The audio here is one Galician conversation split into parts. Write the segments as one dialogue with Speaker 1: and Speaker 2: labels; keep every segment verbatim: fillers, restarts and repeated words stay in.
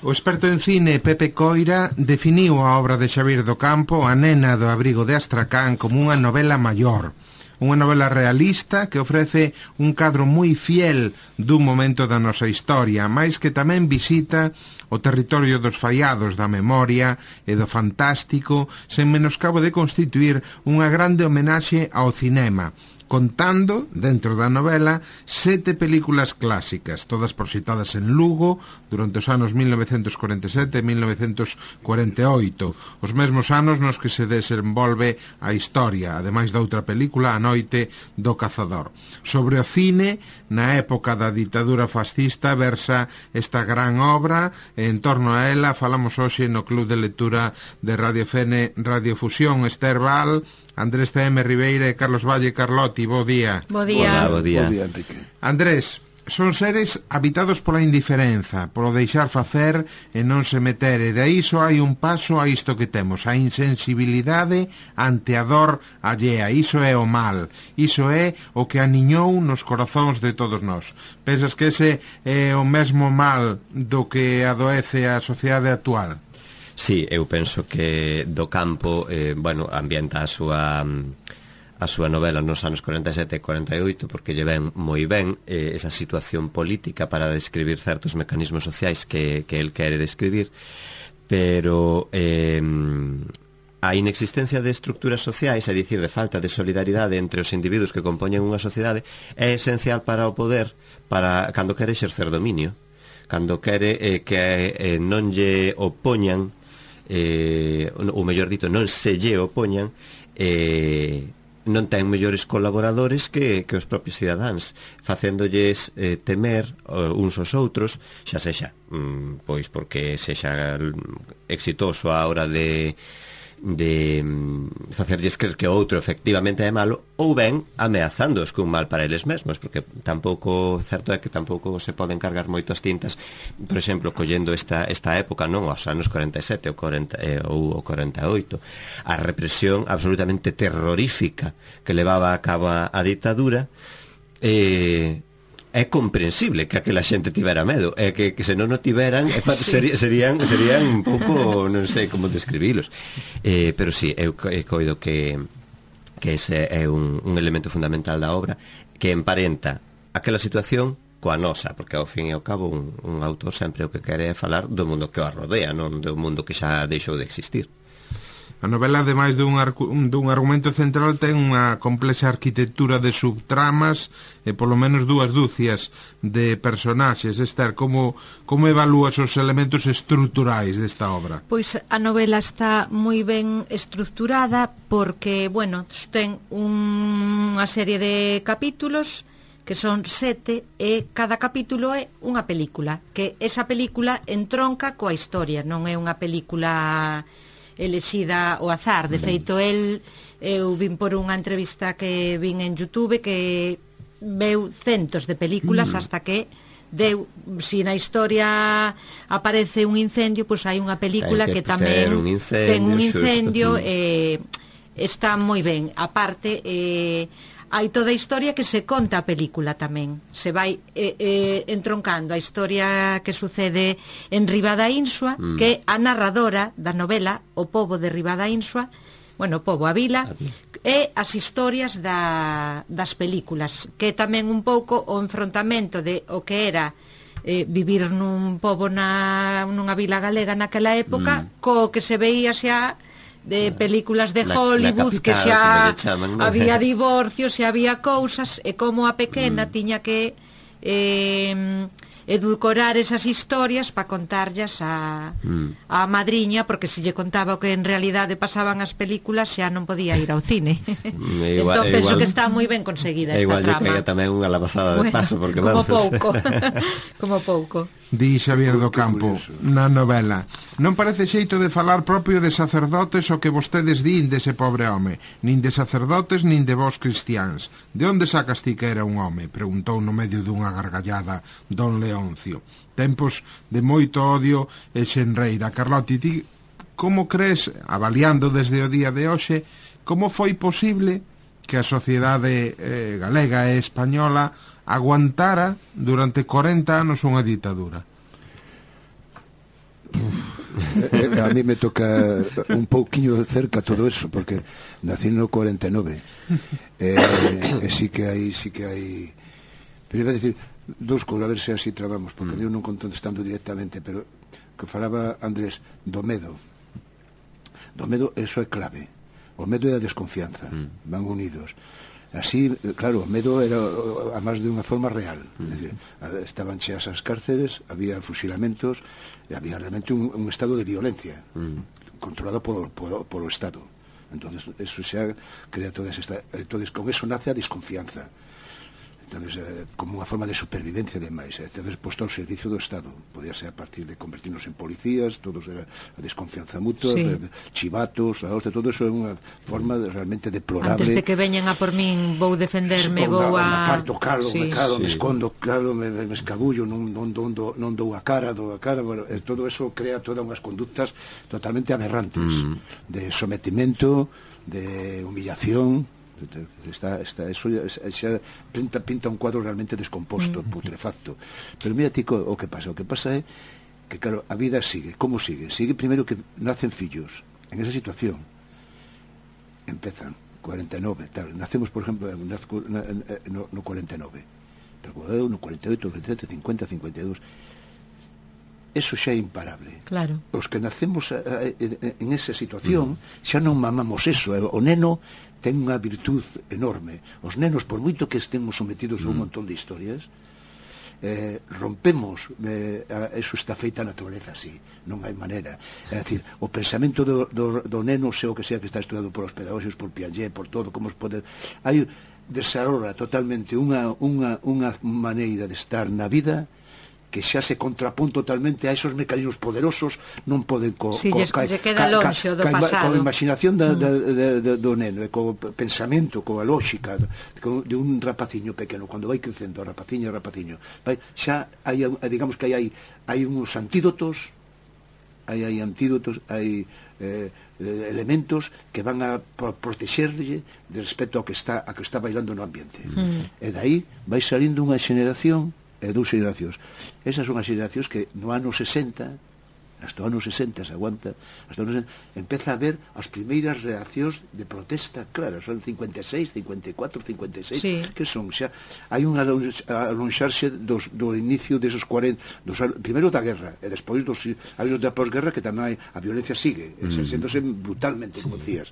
Speaker 1: O experto en cine Pepe Coira definiu a obra de Xavier do Campo, A nena do abrigo de Astracán, como unha novela maior. Unha novela realista que ofrece un cadro moi fiel dun momento da nosa historia, máis que tamén visita o territorio dos fallados da memoria e do fantástico, sen menoscabo de constituir unha grande homenaxe ao cinema, contando, dentro da novela, sete películas clásicas, todas proxectadas en Lugo durante os anos mil novecentos cuarenta e sete e mil novecentos cuarenta e oito, os mesmos anos nos que se desenvolve a historia, ademais da outra película, A noite do cazador. Sobre o cine, na época da ditadura fascista, versa esta gran obra, e en torno a ela falamos hoxe no Club de Lectura de Radio Fene, Radio Fusión, Esther Val, Andrés T M Ribeira e Carlos Valle Carlotti. Bo día.
Speaker 2: Bo día.
Speaker 3: Hola, bo día.
Speaker 4: Bo día, Enrique.
Speaker 1: Andrés, son seres habitados pola indiferenza, polo deixar facer e non se meter, e de aí só hai un paso a isto que temos, a insensibilidade ante a dor allea. Iso é o mal, iso é o que aniñou nos corazóns de todos nós. Pensas que ese é o mesmo mal do que adoece a sociedade actual?
Speaker 3: Sí, eu penso que do Campo, eh, bueno, ambienta a súa a súa novela nos anos cuarenta e sete e cuarenta e oito, porque lle ven moi ben eh, esa situación política para describir certos mecanismos sociais que, que el quere describir, pero eh, a inexistencia de estructuras sociais, é dicir, de falta de solidaridade entre os individuos que compoñen unha sociedade, é esencial para o poder, para cando quere exercer dominio, cando quere eh, que eh, non lle opoñan, eh, ou mellor dito, non se lle opoñan, eh, non ten mellores colaboradores que, que os propios cidadáns, facéndolles eh, temer uh, uns aos outros, xa sexa, mm, pois porque sexa exitoso a hora de de mm, facerlles creer que o outro efectivamente é malo, ou ben ameazándoos cun mal para eles mesmos, porque tampouco, certo é que tampouco se poden cargar moito as tintas, por exemplo, collendo esta, esta época, non, os anos cuarenta e sete ou, cuarenta, eh, ou o cuarenta e oito, a represión absolutamente terrorífica que levaba a cabo a, a ditadura, eh, é comprensible que aquela xente tivera medo, é que, que se non o tiveran, sí. serían, serían, serían un pouco, non sei como describilos, eh, pero sí, eu, eu coido que que ese é un, un elemento fundamental da obra, que emparenta aquela situación coa nosa, porque ao fin e ao cabo un, un autor sempre o que quere é falar do mundo que o rodea, non do mundo que xa deixou de existir.
Speaker 1: A novela, ademais dun, dun argumento central, ten unha complexa arquitectura de subtramas e polo menos dúas dúcias de personaxes. Esther, como, como evalúas os elementos estruturais desta obra?
Speaker 2: Pois a novela está moi ben estructurada porque, bueno, ten unha serie de capítulos que son sete, e cada capítulo é unha película, que esa película entronca coa historia, non é unha película elexida ao azar. De feito, el, eu vin por unha entrevista que vin en YouTube que veu centos de películas mm. hasta que deu, si na historia aparece un incendio, pois hai unha película que, que tamén
Speaker 3: un incendio,
Speaker 2: ten un incendio e eh, está moi ben. Aparte, eh, hai toda a historia que se conta a película tamén. Se vai eh, eh, entroncando a historia que sucede en Ribadaínsua, mm. que a narradora da novela, o pobo de Ribadaínsua, bueno, o pobo, a vila, a e as historias da, das películas, que tamén un pouco o enfrontamento de o que era eh, vivir nun pobo na, nunha vila galega naquela época, mm. co que se veía xa de películas de Hollywood, que xa chaman, ¿no? Había divorcios e había cousas, e como a pequena mm. tiña que eh, edulcorar esas historias para contarllas a, mm. a madriña, porque se lle contaba o que en realidade pasaban as películas xa non podía ir ao cine. Igual, entón penso igual, que está moi ben conseguida esta
Speaker 3: igual
Speaker 2: trama.
Speaker 3: Igual lle tamén unha lavazada de bueno, paso, porque
Speaker 2: como
Speaker 3: vamos.
Speaker 2: pouco. Como pouco.
Speaker 1: Di Xavier do Campo na novela: non parece xeito de falar propio de sacerdotes o que vostedes din dese pobre home, nin de sacerdotes nin de vós cristiáns. De onde sacas ti que era un home? Preguntou no medio dunha gargallada don Leoncio. Tempos de moito odio e xenreira. Carlotti, ti como crees, avaliando desde o día de hoxe, como foi posible que a sociedade eh, galega e española aguantara durante corenta anos unha ditadura?
Speaker 4: eh, a mí me toca un pouquiño de cerca todo eso, porque nací no cuarenta e nove, e eh, eh, sí que hai, sí que hai, pero iba a decir dos cousas, a ver se así trabamos, porque mm. eu non contestando directamente, pero que falaba Andrés do medo. Do medo, eso é clave. O medo e a desconfianza mm. van unidos. Así, claro, o medo era a máis de unha forma real. Mm. É dicir, estaban cheas as cárceles, había fusilamentos, e había realmente un, un estado de violencia mm. controlado por, por, por o Estado. Entonces, eso xa crea toda esta... Entonces, con eso nace a desconfianza. Entonces, eh, como unha forma de supervivencia demais, eh, entonces posto ao servicio do Estado, podía ser a partir de convertirnos en policías, todos era a desconfianza mutua, sí. eh, chivatos, a hostia, todo eso é unha forma de, realmente deplorable.
Speaker 2: Antes de que veñan a por min, vou defenderme, sí, vou a...
Speaker 4: matar, tocalo, sí. me calo, sí. me escondo, claro, me, me escabullo, non, non, non, non, non dou a cara, dou a cara, bueno, eh, todo eso crea todas unhas conductas totalmente aberrantes, mm. de sometimento, de humillación. Está, está, eso xa, xa pinta, pinta un cuadro realmente descomposto, mm. putrefacto. Pero mira, tico, o que pasa o que pasa é que, claro, a vida sigue. Como sigue? Sigue primeiro que nacen fillos. En esa situación empezan cuarenta e nove, tal. Nacemos, por exemplo, nazco, na, no, no cuarenta e nove, pero eu no cuarenta e oito, cuarenta e sete, cincuenta, cincuenta e dous. Eso xa é imparable.
Speaker 2: Claro.
Speaker 4: Os que nacemos a, a, a, en esa situación mm. xa non mamamos eso. O neno ten unha virtud enorme. Os nenos, por moito que estemos sometidos a un montón de historias, eh, rompemos, eh, eso está feita a naturaleza así, non hai maneira. É dicir, o pensamento do, do, do neno, sei o que sea que está estudado por os pedagóxicos, por Piaget, por todo, como os pode... Hai, desarrolla totalmente unha, unha, unha maneira de estar na vida que xa se contrapón totalmente a esos mecanismos poderosos, non poden co,
Speaker 2: si,
Speaker 4: co,
Speaker 2: ca, queda ca, longe do ca, pasado.
Speaker 4: Coa imaginación da, da, da, da, do neno, e co pensamento, coa lógica de un rapaciño pequeno, cando vai crecendo, a rapaciño e rapaciño, vai, xa hai, digamos que hai, hai uns antídotos, hai, hai antídotos, hai eh, elementos que van a protexerlle de respecto ao que está, a que está bailando no ambiente. Mm. E dai vai salindo unha xeneración e dous xeracións. Esas son as xeracións que no ano sesenta, hasta o ano sesenta se aguanta, hasta o ano sesenta, empeza a haber as primeiras reaccións de protesta claras, son cincuenta e seis, cincuenta e catro, cincuenta e seis, sí. que son xa, hai un alonxarse dos, do inicio desos cuarenta, dos, primeiro da guerra, e despois dos anos da posguerra, que tamén hai, a violencia sigue, mm. exercéndose brutalmente, como decías.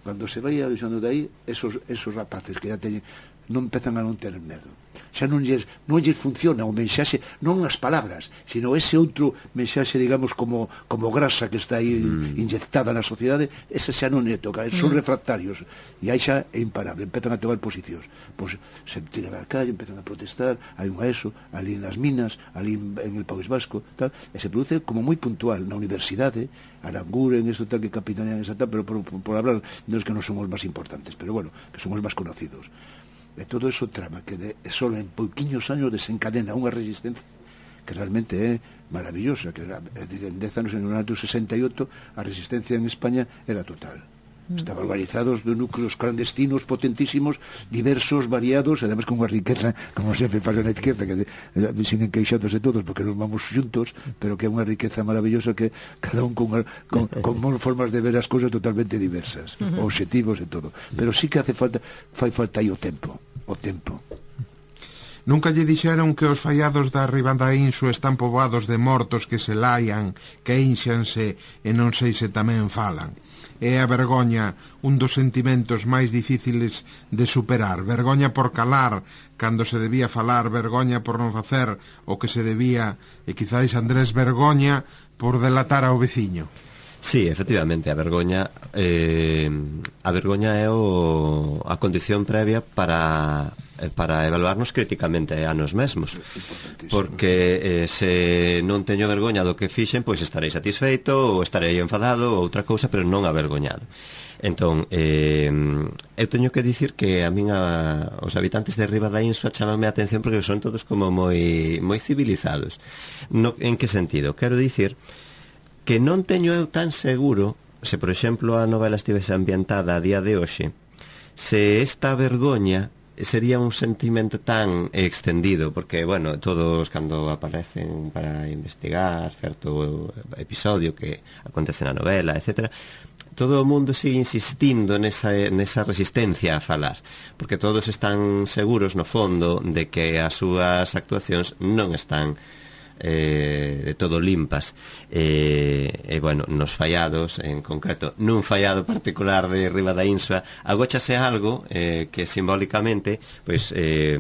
Speaker 4: Cando se vai alonxando de aí, esos, esos rapaces que já teñen, non empezan a non ter medo. Xa non lles, non lles funciona o mensaxe, non as palabras, sino ese outro mensaxe, digamos, como, como grasa que está aí mm. inyectada na sociedade, ese xa non é toca, son mm. refractarios, e aí xa é imparable, empezan a tomar posicións, pois se tiran á calle, empezan a protestar, hai un a eso, ali nas minas, ali en el País Vasco, tal, e se produce como moi puntual na universidade, Aranguren, eso tal, que capitanean esa tal, pero por, por, por hablar de los que non son os máis importantes, pero bueno, que son os máis conocidos. E todo eso trama que de, solo en pouquiños años desencadena unha resistencia que realmente é maravillosa, que era, en dez anos, en o ano sesenta e oito, a resistencia en España era total. Estaban organizados de núcleos clandestinos potentísimos, diversos, variados, e además con unha riqueza, como sempre pasa na izquierda, que de, de, siguen queixándose todos porque non vamos xuntos, pero que é unha riqueza maravillosa, que cada un con, con, con formas de ver as cousas totalmente diversas, uh-huh. objetivos e todo. Pero sí que hace falta, fai falta aí o tempo, o tempo.
Speaker 1: Nunca lle dixeron que os fallados da Ribanda Insu están poboados de mortos que se laian, que ínxanse e non sei se tamén falan. É a vergoña un dos sentimentos máis difíciles de superar. Vergoña por calar cando se debía falar, vergoña por non facer o que se debía, e quizáis, Andrés, vergoña por delatar ao veciño.
Speaker 3: Sí, efectivamente, a vergoña eh, a vergoña é o, a condición previa para para evaluarnos críticamente a nos mesmos, porque eh, se non teño vergoña do que fixen, pois estarei satisfeito ou estarei enfadado ou outra cousa, pero non avergoñado. Entón, eh, eu teño que dicir que a min a, os habitantes de Riba da Insua chamanme a atención porque son todos como moi moi civilizados. No, en que sentido? Quero dicir que non teño eu tan seguro, se por exemplo a novela estivese ambientada a día de hoxe, se esta vergoña sería un sentimento tan extendido, porque, bueno, todos cando aparecen para investigar certo episodio que acontece na novela, etcétera, todo o mundo sigue insistindo nesa, nesa resistencia a falar, porque todos están seguros, no fondo, de que as súas actuacións non están eh, de todo limpas. E, eh, eh, bueno, nos fallados, en concreto, nun fallado particular de Riba da Insua, agóchase algo eh, que simbólicamente, pois... Eh,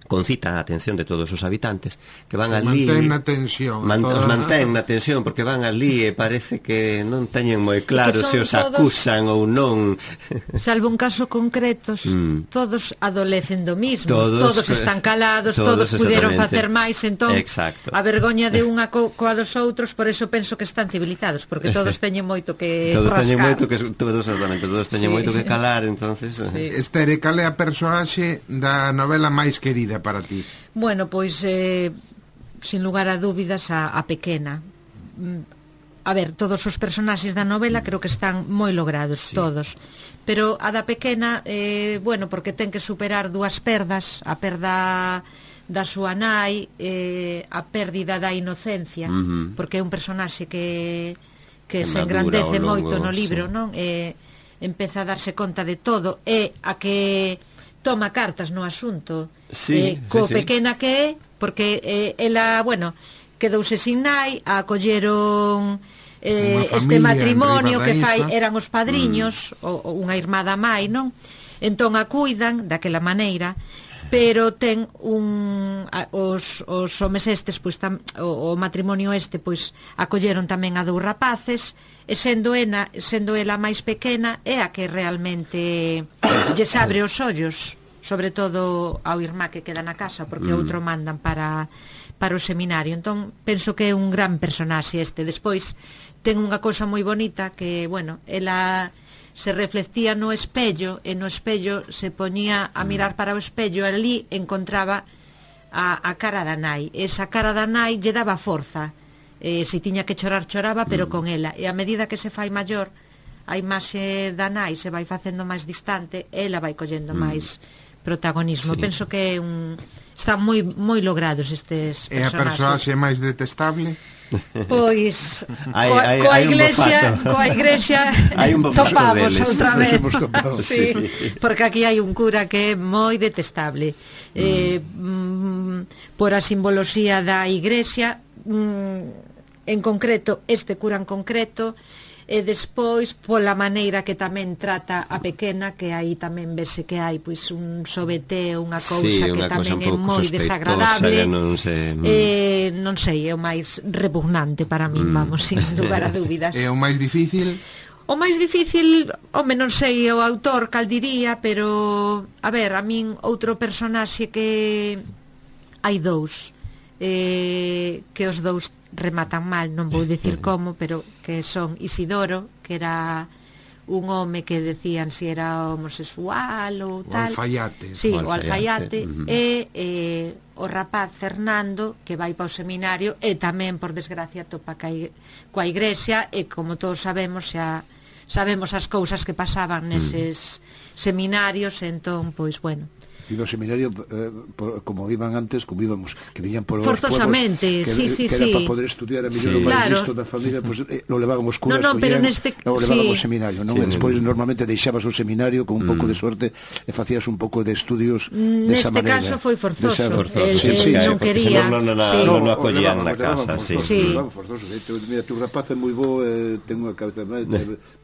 Speaker 3: concita a atención de todos os habitantes que van ali,
Speaker 1: mantén na tensión
Speaker 3: man,
Speaker 1: toda...
Speaker 3: os mantén na tensión porque van ali e parece que non teñen moi claro se os todos, acusan ou non,
Speaker 2: salvo un caso concretos, mm. todos adolecen do mismo, todos, todos están calados, todos, todos puderon facer máis, entón exacto. A vergoña de unha co, coa dos outros, por eso penso que están civilizados, porque todos teñen moito que
Speaker 3: todos
Speaker 2: rascar.
Speaker 3: teñen moito que todos, todos teñen sí. moito que calar, entonces
Speaker 1: sí. Estere, cal é a personaxe da novela máis querida para ti?
Speaker 2: Bueno, pois eh, sin lugar a dúbidas a, a pequena. A ver, todos os personaxes da novela creo que están moi logrados, sí. Todos, pero a da pequena eh, bueno, porque ten que superar dúas perdas, a perda da súa nai, eh, a pérdida da inocencia, uh-huh. porque é un personaxe que que, que se engrandece moito no libro, sí. Non? Eh, empeza a darse conta de todo, e a que toma cartas no asunto, sí, eh, co sí, pequena sí. Que é, porque eh, ela, bueno, quedouse sin nai, a acolleron eh, este matrimonio que fai, eran os padriños, mm. o, o unha irmá da mai, non? Entón a cuidan daquela maneira, pero ten un a, os, os homes estes, pois tam, o, o matrimonio este, pois acolleron tamén a dous rapaces, e sendo ela, sendo ela máis pequena, é a que realmente lles abre os ollos, sobre todo ao irmá que queda na casa, porque mm. outro mandan para, para o seminario. Entón, penso que é un gran personaxe este. Despois, ten unha cousa moi bonita que, bueno, ela se reflectía no espello, e no espello se poñía a mirar para o espello, e ali encontraba a, a cara da nai. Esa cara da nai lle daba forza. Eh, se tiña que chorar, choraba, pero mm. con ela. E a medida que se fai maior, a imaxe da nai se vai facendo máis distante, ela vai collendo mm. máis protagonismo. Sí. Penso que é un... están moi moi logrados estes personaxes.
Speaker 1: E a persoaxe máis detestable?
Speaker 2: Pois hai, coa, hai, coa hai iglesia, coa iglesia topamos outra vez. Sí, sí. Porque aquí hai un cura que é moi detestable. Mm. Eh, mm, por a simboloxía da iglesia, mm, en concreto, este cura en concreto, e despois pola maneira que tamén trata a pequena, que aí tamén vese que hai pois un sobeteo, unha cousa sí, que tamén é moi desagradable, non sei, mm. eh, non sei, é o máis repugnante para min, mm. vamos, sin lugar a dúbidas.
Speaker 1: É o máis difícil?
Speaker 2: O máis difícil, home, non sei o autor cal diría, pero a ver, a min outro personaxe que hai dous eh, que os dous rematan mal, non vou dicir como, pero que son Isidoro, que era un home que decían si era homosexual ou tal,
Speaker 1: o alfaiate,
Speaker 2: sí,
Speaker 1: o
Speaker 2: alfaiate, uh-huh. e eh, o rapaz Fernando, que vai para o seminario e tamén, por desgracia, topa coa igrexa, e como todos sabemos, xa sabemos as cousas que pasaban neses uh-huh. seminarios, entón, pois, bueno,
Speaker 4: iba ao seminario eh, por, como iban antes, como íbamos, que viñan por
Speaker 2: forzosamente,
Speaker 4: que,
Speaker 2: sí, sí,
Speaker 4: que era
Speaker 2: sí.
Speaker 4: para poder estudiar a mellor
Speaker 2: sí.
Speaker 4: o máis
Speaker 2: claro.
Speaker 4: listo da familia, pues, eh, lo levaban os curas,
Speaker 2: no, no, pero neste...
Speaker 4: lo levaban
Speaker 2: sí.
Speaker 4: ao seminario, non?
Speaker 3: Sí,
Speaker 4: E despois
Speaker 3: sí.
Speaker 4: normalmente deixabas o seminario con un mm. pouco de sorte e facías un pouco de estudios
Speaker 2: neste
Speaker 4: desa maneira.
Speaker 2: Neste caso foi forzoso,
Speaker 3: forzoso.
Speaker 2: Eh,
Speaker 3: sí,
Speaker 2: eh,
Speaker 3: sí,
Speaker 2: non
Speaker 3: sí,
Speaker 2: quería
Speaker 3: non, non, non,
Speaker 2: sí.
Speaker 3: non, non acogían na casa, sí.
Speaker 2: sí.
Speaker 4: Forzoso. Mira, tu rapaz é moi bo, eh, ten unha cabeza moi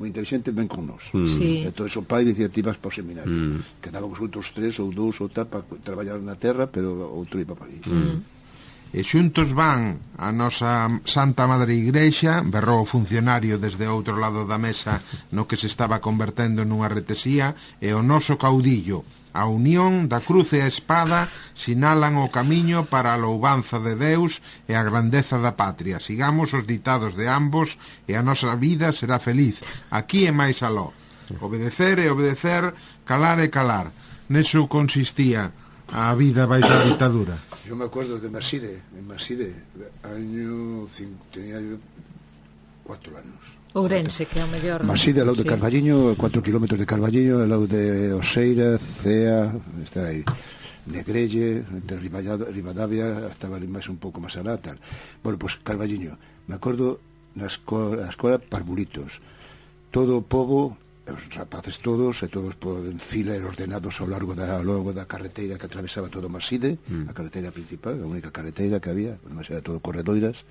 Speaker 4: inteligente, ven con nós.
Speaker 3: Mm.
Speaker 2: Sí.
Speaker 4: Entón, o pai dicía, ti vas para o seminario. Mm. Quedábamos outros tres ou dous ou tal para traballar na terra, pero outro iba para ali.
Speaker 1: Mm. E xuntos van a nosa Santa Madre Igrexa, berrou o funcionario desde outro lado da mesa no que se estaba convertendo nunha retesía, e o noso caudillo. A unión da cruz e a espada sinalan o camiño para a louvanza de Deus e a grandeza da patria. Sigamos os ditados de ambos e a nosa vida será feliz. Aquí é máis aló. Obedecer e obedecer, calar e calar. Neso consistía a vida baixo a ditadura.
Speaker 4: Yo me acuerdo de Maside, en Maside, año cinco, tenía yo cuatro anos.
Speaker 2: Ourense, que é o mellor...
Speaker 4: Maside, ao lado de Carballiño, cuatro kilómetros de Carballiño, ao lado de Oseira, Cea, está aí, Negrelle, entre Ribadavia, estaba ali máis un pouco máis alá, tal. Bueno, pois pues, Carballiño, me acordo na escola, na escola Parvulitos, todo o pobo, os rapaces todos, e todos en fila e ordenados ao largo da, ao largo da carreteira que atravesaba todo Maside, mm. a carreteira principal, a única carreteira que había, además era todo corredoiras.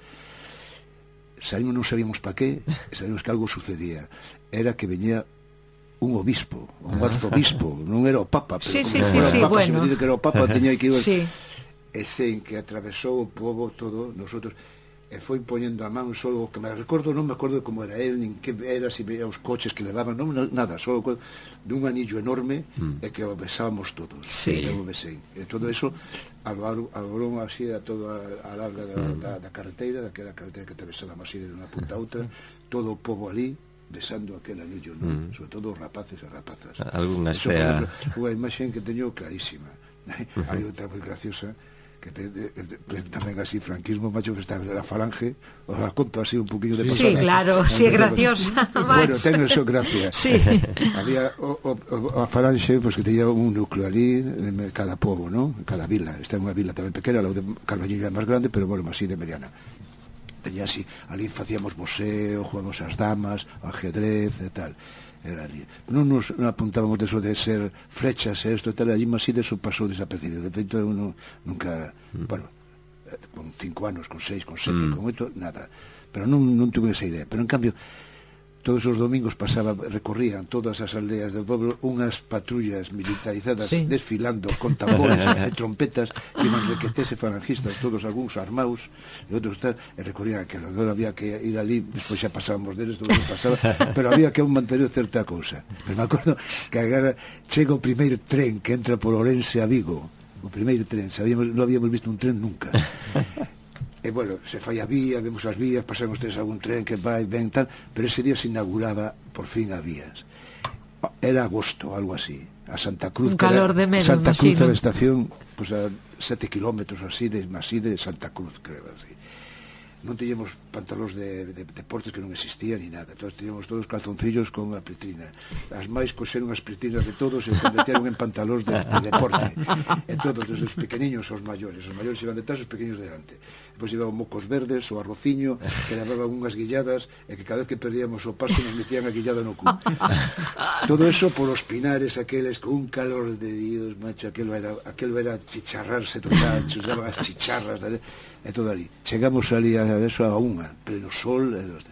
Speaker 4: Salimos, non sabíamos pa qué, sabíamos que algo sucedía. Era que veñía un obispo, un arzobispo, non era o papa, pero
Speaker 2: sí,
Speaker 4: como
Speaker 2: sí,
Speaker 4: sí,
Speaker 2: sí,
Speaker 4: era o
Speaker 2: sí,
Speaker 4: papa,
Speaker 2: bueno.
Speaker 4: se me dice que era o papa, teña que ir...
Speaker 2: Sí.
Speaker 4: E sen que atravesou o povo todo, nosotros... e foi poñendo a man só o que me recordo, non me acordo de como era el, nin que era, se veía os coches que levaban, non, nada, só dun anillo enorme mm. e que o besábamos todos.
Speaker 2: Sí.
Speaker 4: E o besei. E todo eso alorou así a toda a larga da, mm. da, da carreteira, daquela carreteira que atravesábamos así de unha punta a outra, todo o povo ali besando aquel anillo, non? Mm. Sobre todo os rapaces e rapazas.
Speaker 3: Alguna sea...
Speaker 4: Unha imaxe que teño clarísima. Hai outra moi graciosa que te, de, de, de, tamén así franquismo, macho, que está la falange, os la conto así un poquinho de
Speaker 2: Sí,
Speaker 4: pasada.
Speaker 2: claro, si sí, é graciosa.
Speaker 4: Bueno, ten eso gracia.
Speaker 2: Sí.
Speaker 4: Había o, o, o, a falange, pues, que tenía un núcleo ali de cada povo, ¿no? Cada vila. Esta é unha vila tamén pequena, la de Carballiño é máis grande, pero bueno, así de mediana. Tenía así, ali facíamos museo, jugamos as damas, ajedrez e tal. Era ali. Non nos non apuntábamos de eso de ser flechas e isto e tal, allí máis de eso pasou desapercibido. De feito, eu non, nunca, mm. bueno, con cinco anos, con seis, con sete, mm. con oito, nada. Pero non, non tuve esa idea. Pero en cambio, todos os domingos pasaba, recorrían todas as aldeas del pueblo unhas patrullas militarizadas sí. desfilando con tambores e trompetas que iban requetese falangistas, todos algúns armados e outros tal, e recorrían aquilo. Entón había que ir ali, despois xa pasábamos deles, todo o que pasaba, pero había que manter certa cousa. Pero me acordo que agora chega o primeiro tren que entra por Ourense a Vigo, o primeiro tren, sabíamos, non habíamos visto un tren nunca. E, bueno, se fai a vía, vemos as vías, pasamos tres algún tren que vai, ven, tal, pero ese día se inauguraba, por fin, a vías. Era agosto, algo así. A Santa Cruz,
Speaker 2: un calor de menos,
Speaker 4: Santa Cruz
Speaker 2: imagino.
Speaker 4: A la estación, pues a sete kilómetros así, de así de Santa Cruz, creo, así. Non teníamos pantalóns de, de, de deportes que non existían ni nada. Entonces teníamos todos calzoncillos con a pritrina. As máis coxeron as pritrinas de todos e convertieron en pantalóns de, de deporte. E todos, desde os pequeniños aos maiores. Os maiores iban detrás, os pequeños delante. Depois iban mocos verdes, o arrociño, que levaban unhas guilladas e que cada vez que perdíamos o paso nos metían a guillada no cu. Todo eso por os pinares aqueles con un calor de Dios, macho, aquelo era, aquelo era chicharrarse total, chuzaban as chicharras de, e todo ali. Chegamos ali a eso a unha, pleno sol, e dos,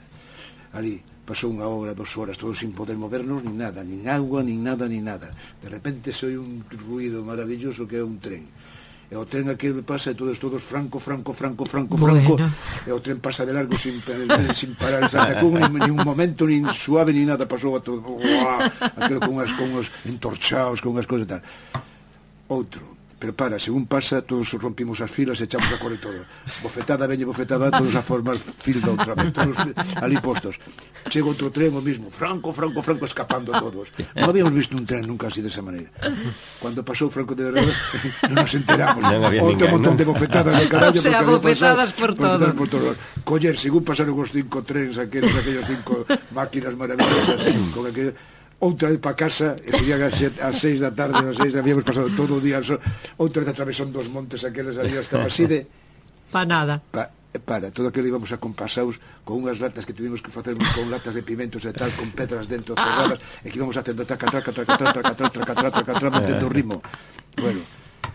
Speaker 4: ali pasou unha hora, dos horas, todos sin poder movernos, nin nada, nin agua, nin nada, nin nada. De repente se oi un ruido maravilloso que é un tren. E o tren aquí pasa e todos, todos franco, franco, franco, franco, franco, bueno. E o tren pasa de largo sin, sin parar en Santa Cruz, nin, nin un momento, nin suave, nin nada, pasou a todo, uah, aquilo con unhas, con unhos entorchados, con unhas cosas e tal. Outro, pero para, según pasa, todos rompimos as filas e echamos a correr todo. Bofetada, veñe bofetada, todos a formar fila outra vez, todos ali postos. Chega outro tren, o mismo, franco, franco, franco, escapando todos. Non habíamos visto un tren nunca así desa maneira. Cuando pasou Franco de Verdade, non nos enteramos.
Speaker 3: Non
Speaker 4: outro montón de bofetadas de carallo.
Speaker 2: O sea, bofetadas por todo.
Speaker 4: por todo. Coller, según pasaron os cinco trens, aqueles, aquellos cinco máquinas maravillosas, con aquellos... Outra vez para casa, e serían as seis da tarde, as seis, habíamos pasado todo o día, outra vez atravesando dos montes aqueles ali hasta Maside.
Speaker 2: Pa nada.
Speaker 4: Pa, para, todo aquilo íbamos a compasaos con unhas latas que tuvimos que facer con latas de pimentos e tal, con pedras dentro cerradas, e que íbamos facendo traca, traca, traca, traca, traca, traca, traca, traca, traca, traca, mantendo o ritmo. Bueno,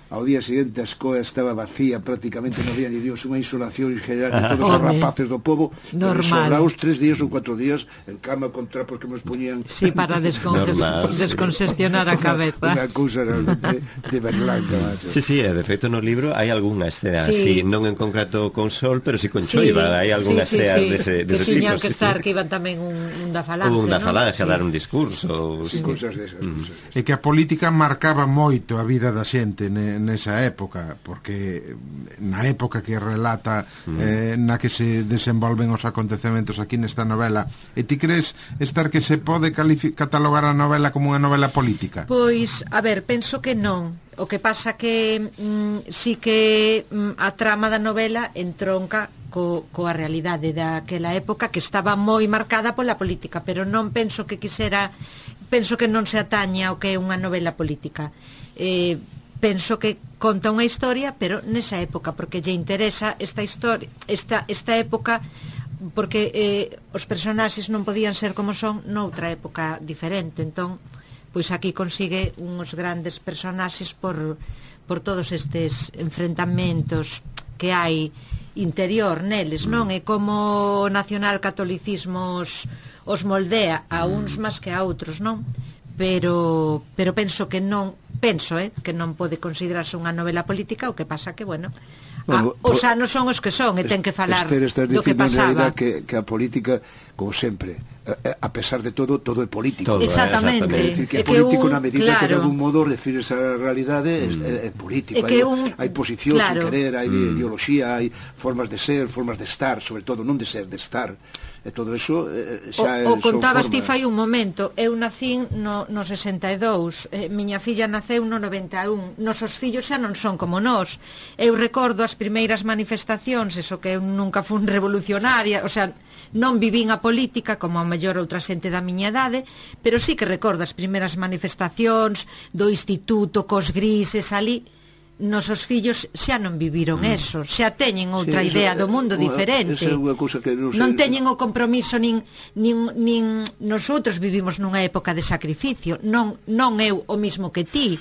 Speaker 4: ao día seguinte a escoa estaba vacía, prácticamente non había ni Dios, unha isolación general de todos os rapaces do povo, sobraos tres días ou cuatro días en cama con trapos que nos poñían.
Speaker 2: Sí, para descongestionar a cabeza.
Speaker 4: Unha cousa realmente de Berlanga, macho.
Speaker 3: Sí, sí, de feito no libro hai algunha escena así, sí, non en concreto con Sol, pero si sí con Choiva, sí, hai algunha sí, sí, escena sí, dese, dese
Speaker 2: que tiñan que estar, sí, que iban tamén un, un da falange,
Speaker 3: un da falange,
Speaker 2: ¿no?
Speaker 3: A dar un discurso.
Speaker 4: Sí, sí, cousas desas.
Speaker 1: Mm. E que a política marcaba moito a vida da xente, ne? nesa época, porque na época que relata mm. eh, na que se desenvolven os acontecementos aquí nesta novela, e ti crees, Esther, que se pode catalogar a novela como unha novela política?
Speaker 2: Pois, a ver, penso que non. O que pasa que mm, sí que mm, a trama da novela entronca co, coa realidade daquela época, que estaba moi marcada pola política, pero non penso que quisera, penso que non se ataña ao que é unha novela política. Eh, penso que conta unha historia, pero nesa época, porque lle interesa esta historia, esta, esta época, porque eh, os personaxes non podían ser como son noutra época diferente. Entón, pois aquí consigue uns grandes personaxes por, por todos estes enfrentamentos que hai interior neles, non? É como o nacionalcatolicismo os, os moldea a uns máis que a outros, non? Pero, pero penso que non penso, eh, que non pode considerarse unha novela política, o que pasa que, bueno, bueno, a, os anos son os que son, e ten que falar
Speaker 4: Esther,
Speaker 2: do que pasaba.
Speaker 4: Que, que a política, como sempre, a, a pesar de todo, todo é político.
Speaker 2: Todo, exactamente.
Speaker 4: É decir, que é, é político que un, na medida claro, que de algún modo refires a realidade, mm. é, é político.
Speaker 2: É
Speaker 4: hai,
Speaker 2: un,
Speaker 4: hai posicións,
Speaker 2: claro,
Speaker 4: sin querer, hai
Speaker 3: mm.
Speaker 4: ideoloxía, hai formas de ser, formas de estar, sobre todo, non de ser, de estar. E todo eso eh, xa
Speaker 2: o, o contabas ti
Speaker 4: formas...
Speaker 2: fai un momento. Eu nacín no, no sesenta e dous, eh, miña filla naceu no noventa e un. Nosos fillos xa non son como nós. Eu recordo as primeiras manifestacións, eso que eu nunca fun revolucionaria, o sea, non vivín a política como a mellor outra xente da miña idade, pero sí que recordo as primeiras manifestacións do instituto cos grises ali. Nosos fillos xa non viviron mm. eso, xa teñen outra sí, idea do mundo unha, diferente.
Speaker 4: É unha cousa que non,
Speaker 2: non teñen o compromiso nin, nin, nin nosotros vivimos nunha época de sacrificio, non, non eu o mismo que ti,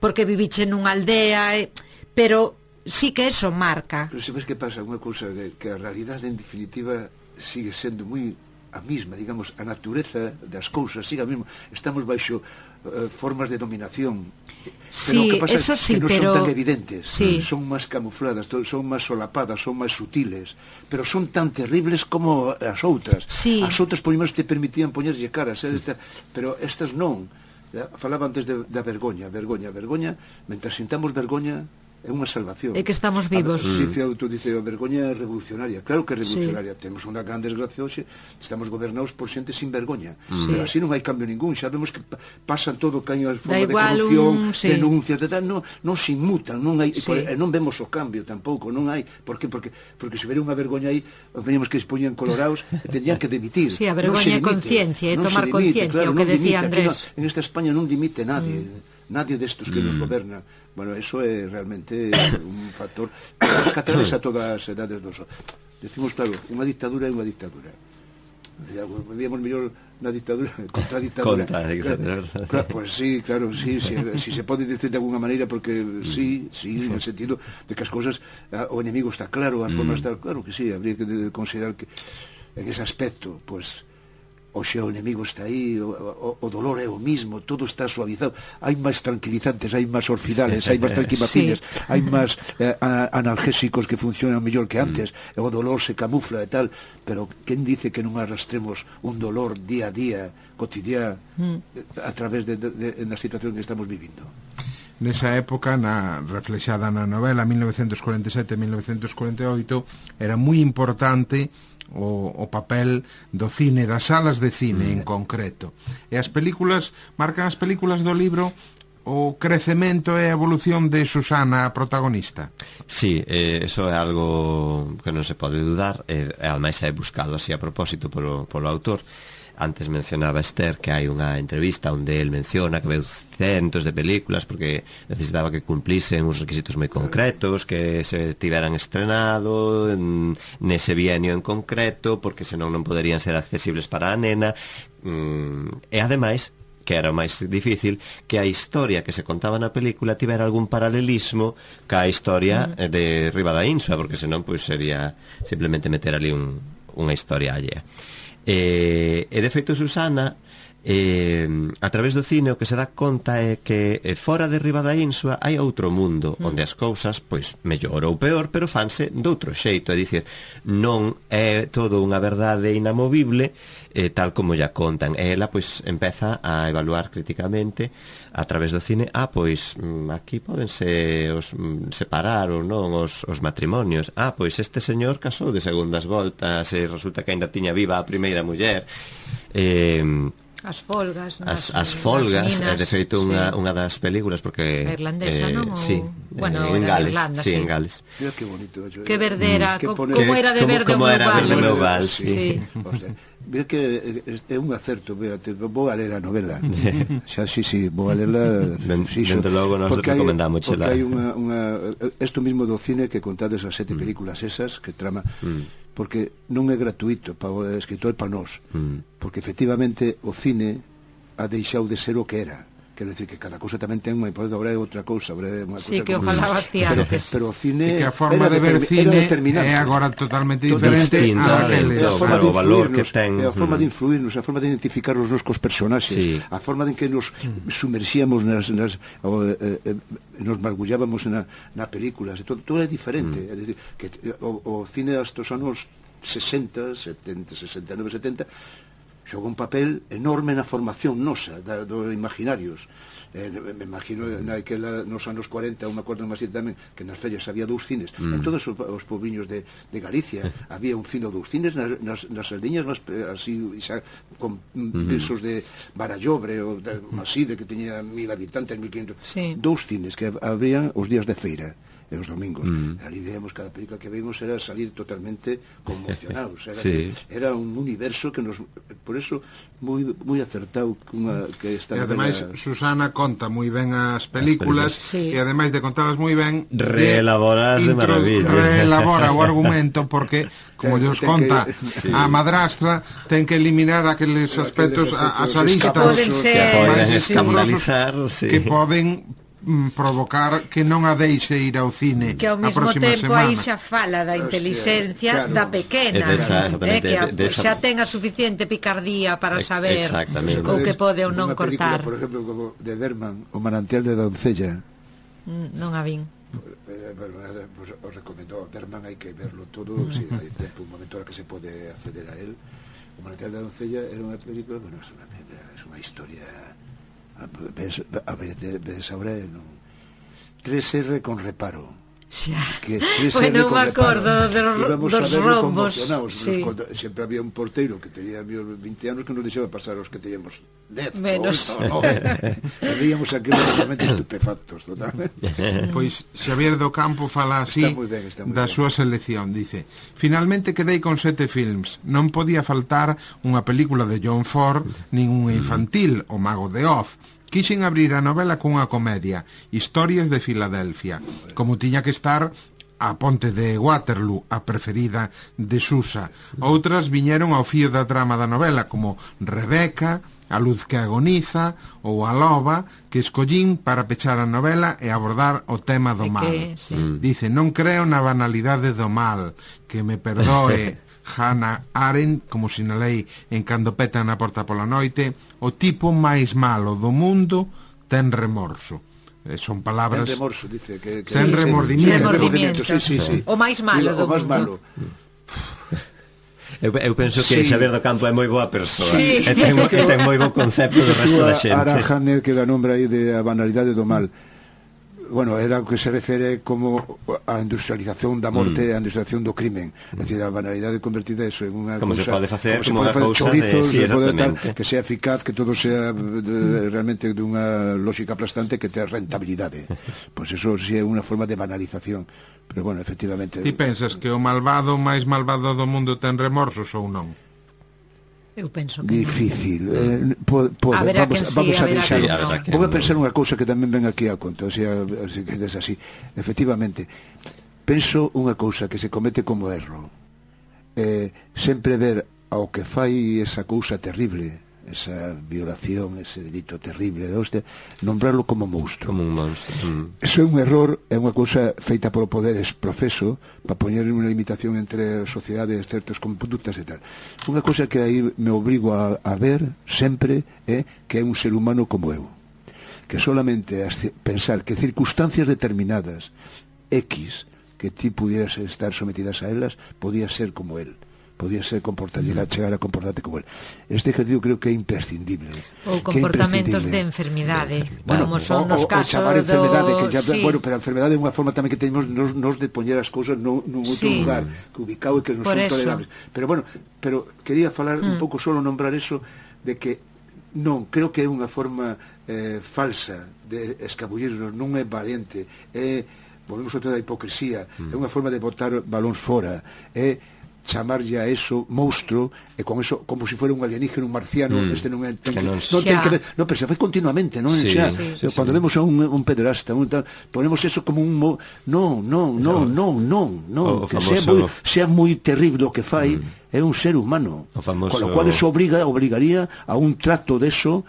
Speaker 2: porque viviche nunha aldea, eh, pero sí que eso marca.
Speaker 4: Pero sabes que pasa? Unha cousa que, que a realidade en definitiva sigue sendo moi a mesma, digamos, a natureza das cousas sigue a mesma. Estamos baixo uh, formas de dominación. Pero
Speaker 2: sí,
Speaker 4: o que pasa
Speaker 2: eso
Speaker 4: é
Speaker 2: sí,
Speaker 4: que non
Speaker 2: pero...
Speaker 4: son tan evidentes,
Speaker 2: sí.
Speaker 4: son máis camufladas, son máis solapadas, son máis sutiles, pero son tan terribles como as outras.
Speaker 2: Sí.
Speaker 4: As outras, por menos, te permitían poñerlle caras, eh, esta, pero estas non. Falaba antes de, da vergoña, vergoña, vergoña, mentras sintamos vergoña, é unha salvación.
Speaker 2: É que estamos vivos.
Speaker 4: A, dice, tú dice, a vergoña é revolucionaria. Claro que é revolucionaria. Sí. Temos unha gran desgracia hoxe, estamos gobernados por xente sin vergoña. Sí. Pero así non hai cambio ningún. Xa vemos que pasan todo, que hai a forma de corrupción, un... sí. denuncias, de tal, non, non se inmutan, non hai, sí. por, non vemos o cambio tampouco, non hai. Por que? Porque, porque se hubiera unha vergoña aí, veníamos que se poñan colorados, tenían que demitir.
Speaker 2: Sí, a vergoña é conciencia, é tomar conciencia, claro, o que decía Andrés.
Speaker 4: No, en esta España non dimite nadie. Mm. Nadie destos que mm. nos goberna. Bueno, eso é realmente un factor que atravesa todas as edades dos. Decimos, claro, unha dictadura é unha dictadura. Vivíamos mellor na dictadura contra a dictadura.
Speaker 3: Contra a dictadura.
Speaker 4: Claro, claro, pues sí, claro, sí, sí, si se pode dicir de alguna maneira, porque sí, sí, en el sentido de que as cousas, o enemigo está claro, a forma mm. está claro que sí, habría que considerar que en ese aspecto, pues hoxe o enemigo está aí, o, o, o dolor é o mismo, todo está suavizado, hai máis tranquilizantes, hai máis orfidales, hai máis tranquimacines, sí. hai máis eh, analgésicos que funcionan mellor que antes, mm. o dolor se camufla e tal, pero quen dice que non arrastremos un dolor día a día, cotidiano, mm. a través de, de, de, de na situación que estamos vivindo?
Speaker 1: Nesa época, na reflexada na novela mil novecentos cuarenta e sete a mil novecentos cuarenta e oito, era moi importante O, o papel do cine, das salas de cine mm. en concreto. E as películas, marcan as películas do libro o crecemento e a evolución de Susana, a protagonista.
Speaker 3: Sí, eh, eso é algo que non se pode dudar, e eh, ademais é buscado así a propósito polo, polo autor. Antes mencionaba Esther que hai unha entrevista onde el menciona que veu centos de películas porque necesitaba que cumplisen uns requisitos moi concretos, que se tiveran estrenado en, nese bienio en concreto, porque senón non poderían ser accesibles para a nena. Mm, e ademais, que era o máis difícil, que a historia que se contaba na película tivera algún paralelismo ca historia mm. de Riba da Insua, porque senón pois sería simplemente meter ali un, unha historia allea. E, e de feito Susana eh, a través do cine o que se dá conta é que eh, fora de Riba da Insua hai outro mundo mm. onde as cousas, pois, mellor ou peor, pero fanse doutro xeito, é dicir, non é todo unha verdade inamovible, eh, tal como ya contan. E ela, pois, empeza a evaluar críticamente a través do cine, ah, pois, aquí pódense os, separar ou non os, os matrimonios, ah, pois este señor casou de segundas voltas e resulta que ainda tiña viva a primeira muller. eh,
Speaker 2: As folgas,
Speaker 3: as, as folgas, eh, de feito unha, sí. unha das películas porque
Speaker 2: irlandesa,
Speaker 3: eh,
Speaker 2: non?
Speaker 3: Sí,
Speaker 2: bueno,
Speaker 3: eh, en Gales,
Speaker 2: Irlanda,
Speaker 3: sí,
Speaker 2: sí.
Speaker 3: en Gales.
Speaker 4: Mira que bonito. Yo,
Speaker 2: que verdera,
Speaker 4: mm,
Speaker 2: co,
Speaker 4: pone,
Speaker 2: como era de
Speaker 3: como,
Speaker 2: verde
Speaker 3: como
Speaker 2: o
Speaker 3: era verde
Speaker 2: meu
Speaker 3: meu val, sí.
Speaker 2: sí.
Speaker 4: O sea, mira que é un acerto, mírate, vou a ler a novela. Xa, sí, sí, vou a lerla.
Speaker 3: Dende logo nos recomendamos
Speaker 4: porque hai unha, unha isto mismo do cine que contades as sete mm. películas esas que trama mm. porque non é gratuito para o escritor e para nós, mm. porque efectivamente o cine ha deixado de ser o que era. Quero decir que cada cousa tamén ten unha importancia, agora é outra cousa, agora é unha
Speaker 2: sí,
Speaker 4: cousa
Speaker 2: que o falabas ti antes.
Speaker 4: Pero o cine
Speaker 1: e que a forma de ver cine é agora totalmente diferente a aqueles.
Speaker 4: A forma de influirnos,
Speaker 3: a
Speaker 4: forma de influirnos, a forma de identificarnos nos cos personaxes, sí. a forma en que nos sumerxíamos nas, nas o, eh, eh, nos mergullábamos na, na películas, todo, todo é diferente. Mm. É dicir, que o, o cine hasta os anos sesenta, setenta, sesenta e nove, setenta xoga un papel enorme na formación nosa da, do imaginarios. Eh, me imagino naquela, nos anos cuarenta, un acordo máis tamén, que nas ferias había dous cines, mm. en todos os, os pobriños de, de Galicia había un cine ou dous cines nas, nas, nas aldeñas máis así, xa, con mm. pesos de Barallobre ou de Maside, que teña mil habitantes, mil quinhentos, sí. dous cines que abrían os días de feira e os domingos. Mm. Ali veíamos, cada película que vimos era salir totalmente conmocionados. Era, sí. era un universo que nos... Por eso, moi, moi acertado unha, que esta
Speaker 1: e ademais, novela... Susana conta moi ben as películas,
Speaker 3: as
Speaker 1: sí. e ademais de contalas moi ben,
Speaker 3: reelaboras de, de maravilla.
Speaker 1: Reelabora o argumento porque, como Dios conta, que, sí. a madrastra ten que eliminar aqueles aspectos, as aristas
Speaker 2: que
Speaker 1: máis
Speaker 3: escandalizar, sí.
Speaker 1: que poden provocar que non a deixe ir ao cine
Speaker 2: que ao mesmo tempo
Speaker 1: semana.
Speaker 2: aí xa fala da inteligencia claro. da pequena eh, que a, de, de esa... xa ten a suficiente picardía para saber o que pode ou non cortar.
Speaker 4: Por exemplo, como de Berman, O manantial de Doncella,
Speaker 2: mm, non a vin.
Speaker 4: Bueno, pues, os recomendo Berman, hai que verlo todo, mm. si hai tempo, un momento en que se pode acceder a él. O manantial de Doncella era unha película, bueno, é unha, é unha historia ves, a ver, ves ahora non. tres erre con reparo.
Speaker 2: Xa.
Speaker 4: Que tres
Speaker 2: bueno, me acordo de
Speaker 4: dos
Speaker 2: rombos.
Speaker 4: Sí. Sempre había un porteiro que tenía vinte anos que nos deixaba pasar os que teníamos dez
Speaker 2: menos.
Speaker 4: No, no. E veíamos aqueles realmente estupefactos totalmente.
Speaker 1: Pois Xavier do Campo fala así ben, da súa selección, dice: finalmente quedei con sete films, non podía faltar unha película de John Ford nin unha infantil, O Mago de Oz. Quixen abrir a novela cunha comedia, Historias de Filadelfia, como tiña que estar A Ponte de Waterloo, a preferida de Susa. Outras viñeron ao fío da trama da novela, como Rebeca, A Luz que Agoniza ou A Loba, que escollín para pechar a novela e abordar o tema do mal.
Speaker 2: Que, sí.
Speaker 1: Dice: non creo na banalidade do mal, que me perdoe Hannah Arendt, como sinalei en Cando petan na porta pola noite, o tipo máis malo do mundo ten remorso. Eh, son palabras...
Speaker 4: Ten remorso, dice. Que, que
Speaker 1: ten
Speaker 2: sí,
Speaker 1: remordimiento.
Speaker 2: remordimiento.
Speaker 4: Sí, sí, sí.
Speaker 2: O máis malo do
Speaker 4: o máis
Speaker 2: mundo.
Speaker 4: malo.
Speaker 3: Eu, eu penso que sí. Xavier do Campo é moi boa persoa,
Speaker 2: sí.
Speaker 3: e ten, ten moi bo concepto do resto da xente.
Speaker 4: Ara Hanner, que dá nombre aí de a banalidade do mal, bueno, era o que se refere como a industrialización da morte e mm. a industrialización do crimen, é dicir, a banalidade convertida eso en unha
Speaker 3: como
Speaker 4: cousa,
Speaker 3: se pode facer,
Speaker 4: como, como se pode facer chorizos,
Speaker 3: de, sí,
Speaker 4: se pode tal, que sea eficaz, que todo sea de, realmente dunha lógica aplastante, que tenha rentabilidade. Pois pues eso sí é unha forma de banalización, pero bueno, efectivamente.
Speaker 1: Ti pensas que o malvado máis malvado do mundo ten remorsos ou non?
Speaker 2: Eu penso que
Speaker 4: difícil. Eh, pode, pode. Vamos, sí, vamos a, a deixar. Sí, vou a pensar unha cousa que tamén ven aquí a conta, o sea, se quedes así. Efectivamente, penso unha cousa que se comete como erro. Eh, sempre ver ao que fai esa cousa terrible, esa violación, ese delito terrible de hostia, nombrarlo como monstro.
Speaker 3: Como un monstro. Mm.
Speaker 4: Eso é un error, é unha cousa feita polo poder profeso para poñer unha limitación entre sociedades certas conductas e tal. Unha cousa que aí me obrigo a, a ver sempre é que é un ser humano como eu, que solamente pensar que circunstancias determinadas X que ti pudieras estar sometidas a elas podía ser como él, podía ser comportar, llegar, chegar a comportarte como él. Este ejercicio creo que é imprescindible.
Speaker 2: Ou comportamentos de enfermidade,
Speaker 4: bueno,
Speaker 2: como son
Speaker 4: o,
Speaker 2: nos
Speaker 4: o,
Speaker 2: casos
Speaker 4: o chamar enfermedade,
Speaker 2: do...
Speaker 4: que ya,
Speaker 2: sí.
Speaker 4: Bueno, pero a enfermedade é unha forma tamén que tenemos nos, nos de poñer as cousas nun, nun outro
Speaker 2: sí.
Speaker 4: lugar, que ubicado e que non
Speaker 2: Por
Speaker 4: son
Speaker 2: eso.
Speaker 4: tolerables. Pero bueno, pero quería falar mm. un pouco solo nombrar eso de que non, creo que é unha forma eh, falsa de escabullirnos, non é valiente, é, volvemos a toda a hipocresía, mm. é unha forma de botar balóns fora, é chamarlle a eso monstruo e con eso como se si fuera un alienígeno, un marciano, mm. este non é ten que, non, non ten que ver, no, pero se fai continuamente, non?
Speaker 3: Sí,
Speaker 4: xa,
Speaker 3: sí, sí,
Speaker 4: cuando
Speaker 3: sí.
Speaker 4: vemos a un, un pederasta, un tal, ponemos eso como un mo... no, no, no, no, no, no,
Speaker 3: o
Speaker 4: que
Speaker 3: famoso...
Speaker 4: sea moi sea moi terrible o que fai, mm. é un ser humano.
Speaker 3: Famoso...
Speaker 4: Con lo cual eso obriga, obrigaría a un trato de eso.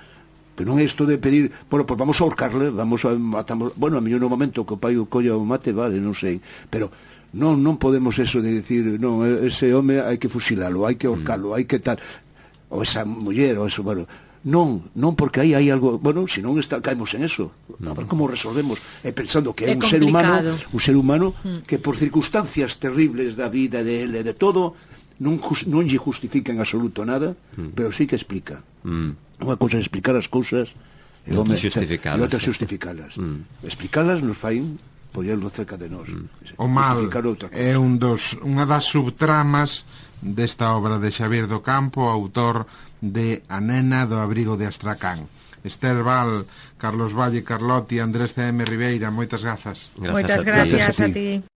Speaker 4: Pero non é isto de pedir, bueno, pues vamos a ahorcarle, vamos a matamos, bueno, a mellor no momento que o pai o colla o mate, vale, non sei, pero non non podemos eso de decir, non, ese home hai que fusilalo, hai que ahorcarlo, mm. hai que tal, ou esa muller, ou eso, bueno, non, non, porque aí hai algo, bueno, se non está, caemos en eso, a ver como resolvemos, e pensando que é, é un ser humano, un ser humano mm. que por circunstancias terribles da vida de ele, de todo, non, non lle justifica en absoluto nada, mm. pero sí que explica. Mm. Unha cousa é explicar as cousas
Speaker 3: e outra xustificalas.
Speaker 4: Mm. Explicalas nos fai poñerlo cerca de nós.
Speaker 1: Mm. O mal é un dos, unha das subtramas desta obra de Xavier do Campo, autor de A nena do abrigo de Astracán. Esther Val, Carlos Valle Carlotti, Andrés C M Ribeira, moitas grazas.
Speaker 2: Moitas gracias a ti.